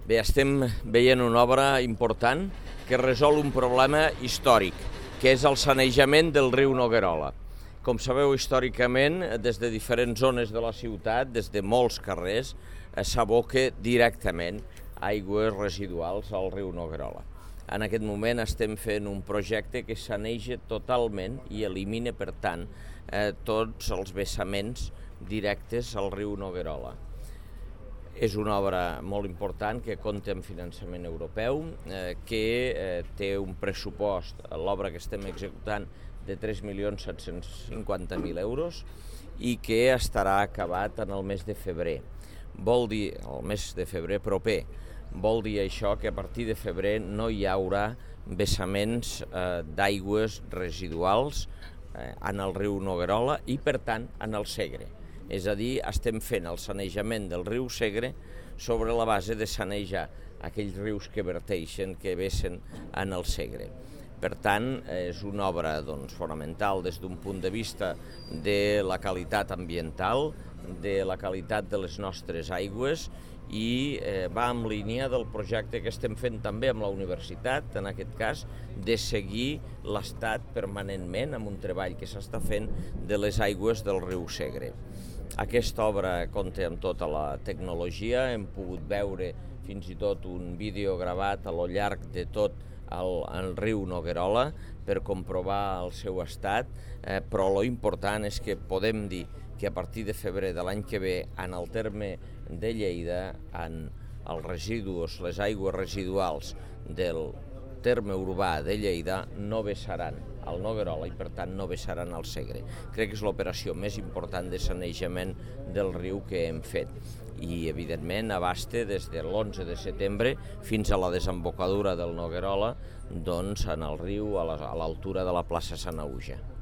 Bé, estem veient una obra important que resol un problema històric, que és el sanejament del riu Noguerola. Com sabeu, històricament, des de diferents zones de la ciutat, des de molts carrers, s'aboca directament aigües residuals al riu Noguerola. En aquest moment estem fent un projecte que saneja totalment i elimina, per tant, tots els vessaments directes al riu Noguerola. És una obra molt important que compta amb finançament europeu, que té un pressupost, l'obra que estem executant, de 3.750.000 euros i que estarà acabat en el mes de febrer. Vol dir, el mes de febrer proper, vol dir això que a partir de febrer no hi haurà vessaments d'aigües residuals en el riu Noguerola i, per tant, en el Segre. És a dir, estem fent el sanejament del riu Segre sobre la base de sanejar aquells rius que verteixen, que vessen en el Segre. Per tant, és una obra fonamental des d'un punt de vista de la qualitat ambiental, de la qualitat de les nostres aigües i va en línia del projecte que estem fent també amb la universitat, en aquest cas, de seguir l'estat permanentment amb un treball que s'està fent de les aigües del riu Segre. Aquesta obra compta amb tota la tecnologia, hem pogut veure fins i tot un vídeo gravat a lo llarg de tot el riu Noguerola per comprovar el seu estat, però lo important és que podem dir que a partir de febrer de l'any que ve, en el terme de Lleida, en els residus, les aigües residuals del terme urbà de Lleida no vessaran al Noguerola i, per tant, no vessaran al Segre. Crec que és l'operació més important de sanejament del riu que hem fet i, evidentment, abasta des de l'11 de setembre fins a la desembocadura del Noguerola en el riu a l'altura de la plaça Sant Auja.